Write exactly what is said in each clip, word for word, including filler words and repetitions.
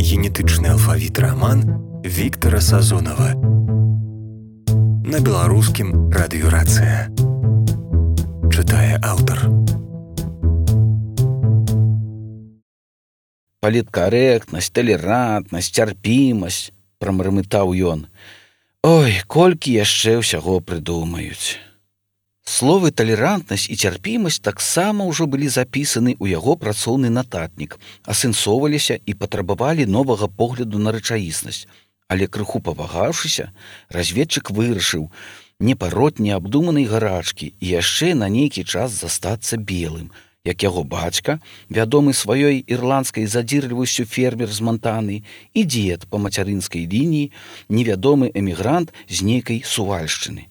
генетычны алфавіт раман Віктара Сазонава. На беларускім радыёрацыя. Чытае аўтар. Паліткарэктнасць, талерантнасць, цярпімасць, прамармытаў ён. Ой, колькі яшчэ ўсяго прыдумаюць. Словы талерантнасць і цярпімасць таксама ўжо былі запісаны ў яго працоўны нататнік, асэнсоўваліся і патрабавалі новага погляду на рэчаіснасць. Але крыху павагаўшыся, разведчык вырашыў не пароць неабдуманай гарачкі і яшчэ на нейкі час застацца белым, як яго бацька, вядомы сваёй ірландскай задзірлівасцю фермер з Монтаны, і дзед па мацярынскай лініі, невядомы эмігрант з нейкай Сувальшчыны.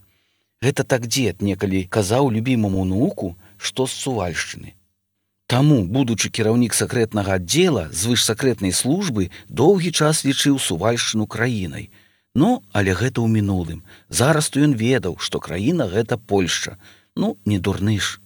Гэта так дзед некалі казаў любімаму ўнуку, што з Сувальшчыны. Таму, будучы кіраўнік сакрэтнага аддзела звышсакрэтнай службы, доўгі час лічыў Сувальшчыну краінай. Ну, але гэта ў мінулым. Зараз то ён ведаў, што краіна гэта Польшча. Ну, не дурны ж.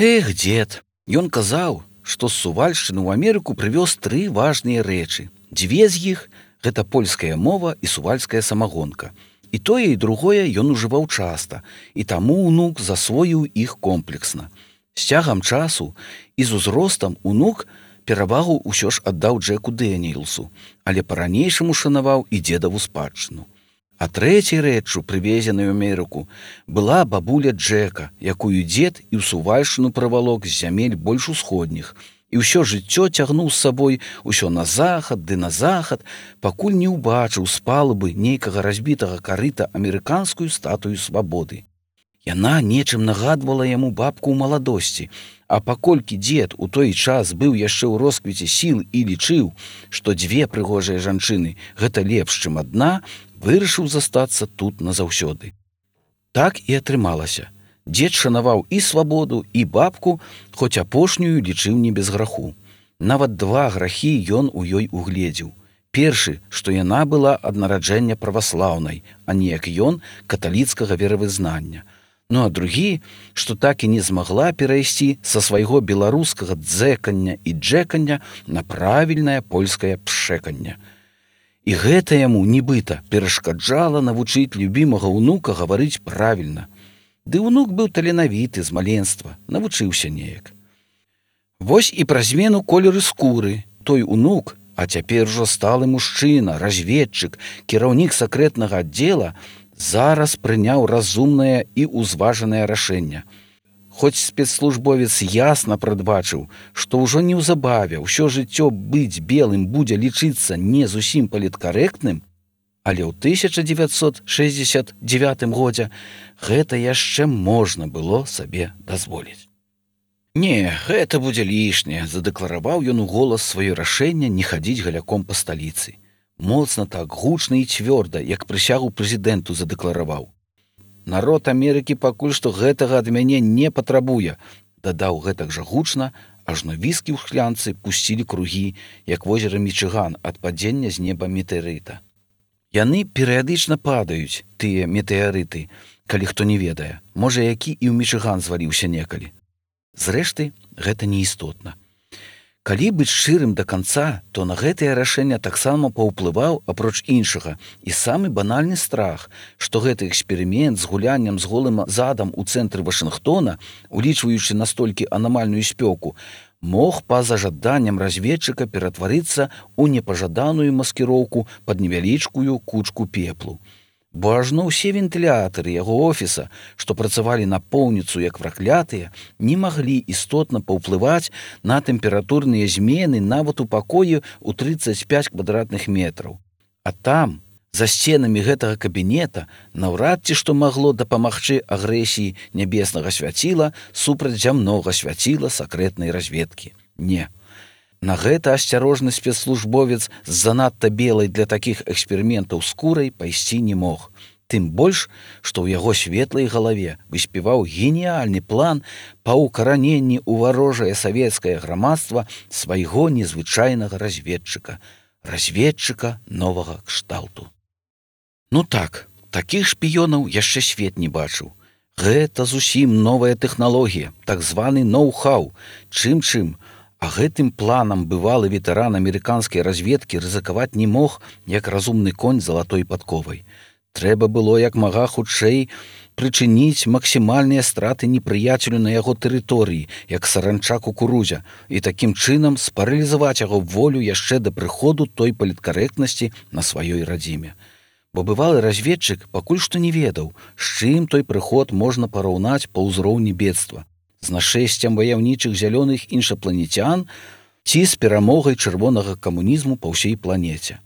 Эх, дзед, ён казаў, што з Сувальшчыны ў Амерыку прывёз тры важныя рэчы. Дзве з іх – гэта польская мова і сувальская самагонка. І тое, і другое ён ужываў часта, і таму ўнук засвоіў іх комплексна. З цягам часу і з узростам ўнук перавагу ўсё ж аддаў Джеку Дэніелсу, але па-ранейшаму шанаваў і дзедаву спадчыну. А трэцяй рэччу, прывезенай у Амерыку, была бабуля Джека, якую дзед і ў Сувальшчыну правалок з зямель больш усходніх, і ўсё жыццё цягнуў з сабой усё на захад ды на захад, пакуль не ўбачыў з палубы нейкага разбітага карыта амерыканскую статую свабоды. Яна нечым нагадвала яму бабку ў маладосці, а паколькі дзед у той час быў яшчэ ў росквіце сіл і лічыў, што дзве прыгожыя жанчыны гэта лепш, чым адна, вырашыў застацца тут назаўсёды. Так і атрымалася. Дзед шанаваў і свабоду, і бабку, хоць апошнюю лічыў не без граху. Нават два грахі ён у ёй угледзеў. Першы, што яна была ад нараджэння праваслаўнай, а не як ён каталіцкага веравызнання. Ну а другі, што так і не змагла перайсці са свайго беларускага дзэкання і джэкання на правільнае польскае пшэканне. І гэта яму, нібыта, перашкаджала навучыць любімага ўнука гаварыць правільна. Ды ўнук быў таленавіты з маленства, навучыўся неяк. Вось і пра змену колеру скуры той унук, а цяпер ужо сталы мужчына, разведчык, кіраўнік сакрэтнага аддзела, зараз прыняў разумнае і ўзважанае рашэнне. Хоць спецслужбовец ясна прадбачыў, што ўжо неўзабаве ўсё жыццё быць белым будзе лічыцца не зусім паліткарэктным, але ў тысяча дзевяцьсот шэсцьдзесят дзевятым годзе гэта яшчэ можна было сабе дазволіць. Не, гэта будзе лішняе, задэклараваў ён у голас сваё рашэнне не хадзіць галяком па сталіцы. Моцна так, гучна і цвёрда, як прысягу прэзідэнту задэклараваў. Народ Амерыкі пакуль што гэтага ад мяне не патрабуе, дадаў гэтак жа гучна, ажно віскі ў шклянцы пусцілі кругі, як возера Мічыган ад падзення з неба метэарыта. Яны перыядычна падаюць, тыя метэарыты, калі хто не ведае, можа, які і ў Мічыган зваліўся некалі. Зрэшты, гэта неістотна. Калі быць шчырым да канца, то на гэтае рашэнне таксама паўплываў, апроч іншага, і самы банальны страх, што гэты эксперымент з гуляннем з голым задам у цэнтры Вашынгтона, улічваючы настолькі анамальную спёку, мог па-за жаданнем разведчыка ператварыцца ў непажаданую маскіроўку пад невялічкую кучку пеплу. Бо ажно ўсе вентылятары яго офіса, што працавалі напоўніцу як праклятыя, не маглі істотна паўплываць на тэмпературныя змены нават у пакоі ў трыццаць пяць квадратных метраў. А там, за сценамі гэтага кабінета, наўрад ці што магло дапамагчы агрэсіі нябеснага свяціла супраць зямнога свяціла сакрэтнай разведкі. Не. На гэта асцярожны спецслужбовец з занадта белай для такіх эксперыментаў скурай пайсці не мог. Тым больш, што ў яго светлай галаве выспяваў геніяльны план па ўкараненні ў варожае савецкае грамадства свайго незвычайнага разведчыка, разведчыка новага кшталту. Ну так, такіх шпіёнаў яшчэ свет не бачыў. Гэта зусім новая тэхналогія, так званы ноу-хау, чым-чым, А гэтым планам бывалы ветэран амерыканскай разведкі рызыкаваць не мог, як разумны конь залатой падковай. Трэба было як мага хутчэй прычыніць максімальныя страты непрыяцелю на яго тэрыторыі, як саранча кукурузя, і такім чынам спаралізаваць яго волю яшчэ да прыходу той паліткарэктнасці на сваёй радзіме. Бо бывалы разведчык пакуль што не ведаў, з чым той прыход можна параўнаць па ўзроўні бедства. З нашэсцем ваяўнічых зялёных іншапланецян ці з перамогай чырвонага камунізму па ўсей планеце.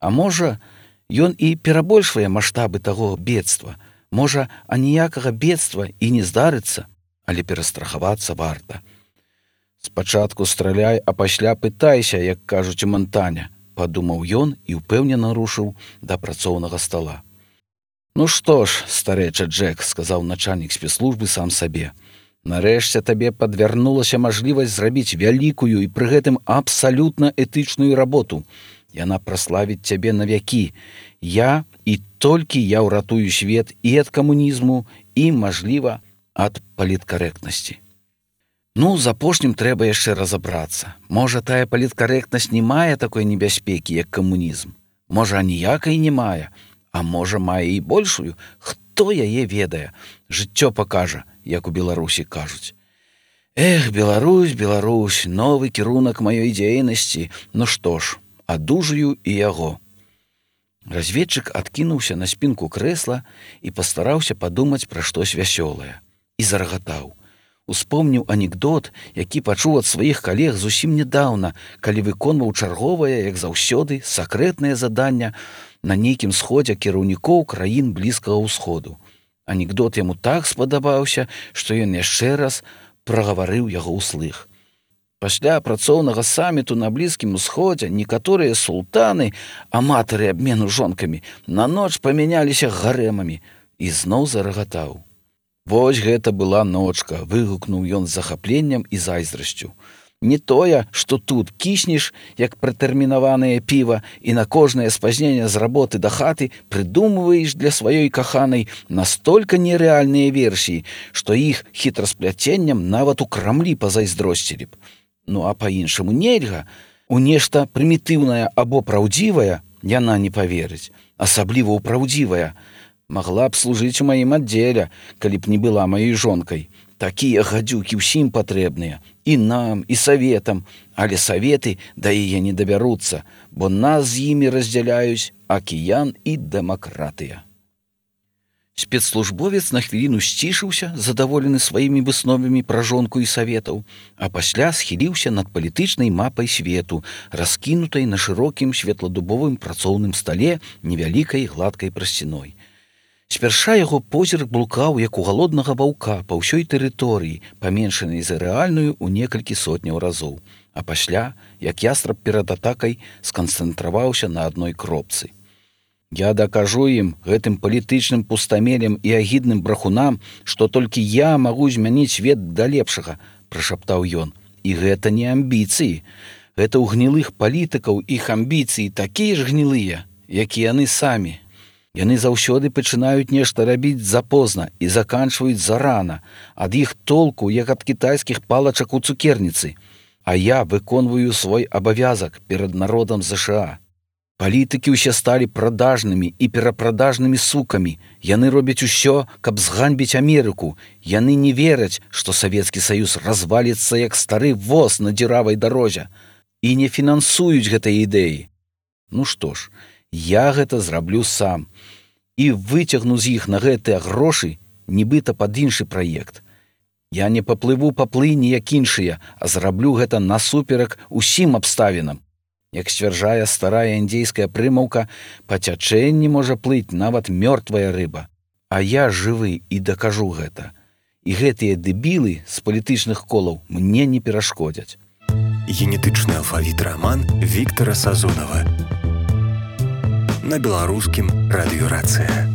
А можа, ён і перабольшвае маштабы таго бедства. Можа, аніякага бедства і не здарыцца, але перастрахавацца варта. Спачатку страляй, а пасля пытайся, як кажуць у Монтане, падумаў ён і ўпэўнена рушыў да працоўнага стала. Ну што ж, старэча Джек, сказаў начальнік спецслужбы сам сабе. Нарэшце табе падвярнулася мажлівасць зрабіць вялікую і пры гэтым абсалютна этычную работу. Яна праславіць цябе на вякі. Я і толькі я ўратую свет і ад камунізму, і, мажліва, ад паліткарэктнасці. Ну, з апошнім трэба яшчэ разабрацца. Можа, тая паліткарэктнасць не мае такой небяспекі, як камунізм. Можа, аніякай не мае, а можа, мае і большую. Хто яе ведае? Жыццё пакажа, як у Беларусі кажуць. Эх, Беларусь, Беларусь, новы кірунак маёй дзейнасці. Ну што ж, адужаю і яго. Разведчык адкінуўся на спінку крэсла і пастараўся падумаць пра штось вясёлае. І зарагатаў. Успомніў анекдот, які пачуў ад сваіх калег зусім нядаўна, калі выконваў чарговае, як заўсёды, сакрэтнае заданне на нейкім сходзе кіраўнікоў краін Блізкага ўсходу. Анекдот яму так спадабаўся, што ён яшчэ раз прагаварыў яго ўслых. Пасля працоўнага саміту на Блізкім усходзе некаторыя султаны, аматары абмену жонкамі, на ноч памяняліся гарэмамі і зноў зарагатаў. Вось гэта была ночка, выгукнуў ён з захапленнем і зайздрасцю. Не тое, што тут кіснеш, як пратэрмінаванае піва, і на кожнае спазненне з работы да хаты прыдумваеш для сваёй каханай настолькі нерэальныя версіі, што іх хітрасплячэннем нават у Крамлі пазайздросцілі б. Ну а па-іншаму нельга. У нешта прымітыўнае або праўдзівае яна не паверыць, асабліва ў праўдзівае. Магла б служыць у маім аддзеле, калі б не была маёй жонкай. Такія гадзюкі ўсім патрэбныя, і нам, і саветам, але саветы да яе не дабяруцца, бо нас з імі раздзяляюць акіян і дэмакратыя. Спецслужбовец на хвіліну сцішыўся, задаволены сваімі высновамі пра жонку і саветаў, а пасля схіліўся над палітычнай мапай свету, раскінутай на шырокім светладубовым працоўным стале невялікай гладкай прасціной. Спярша яго позірк блукаў, як у галоднага ваўка па ўсёй тэрыторыі, паменшанай за рэальную ў некалькі сотняў разоў, а пасля, як ястраб перад атакай, сканцэнтраваўся на адной кропцы. Я дакажу ім, гэтым палітычным пустамелем і агідным брахунам, што толькі я магу змяніць свет да лепшага, прашаптаў ён. І гэта не амбіцыі. Гэта ў гнілых палітыкаў іх амбіцыі такія ж гнілыя, як і яны самі. Яны заўсёды пачынаюць нешта рабіць запозна і заканчваюць зарана, ад іх толку, як ад кітайскіх палачак у цукерніцы. А я выконваю свой абавязак перад народам ЗША. Палітыкі ўсе сталі прадажнымі і перапрадажнымі сукамі. Яны робяць усё, каб зганьбіць Амерыку. Яны не вераць, што Савецкі Саюз разваліцца, як стары воз на дзіравай дарозе. І не фінансуюць гэтай ідэі. Ну што ж, я гэта зраблю сам і выцягну з іх на гэтыя грошы, нібыта пад іншы праект. Я не паплыву паплыні, як іншыя, а зраблю гэта насуперак усім абставінам. Як сцвярджае старая індзейская прымаўка, па цячэнні можа плыць нават мёртвая рыба. А я жывы і дакажу гэта. І гэтыя дэбілы з палітычных колаў мне не перашкодзяць. Генетычны алфавіт раман Віктара Сазонава на беларускім радыёрацыя.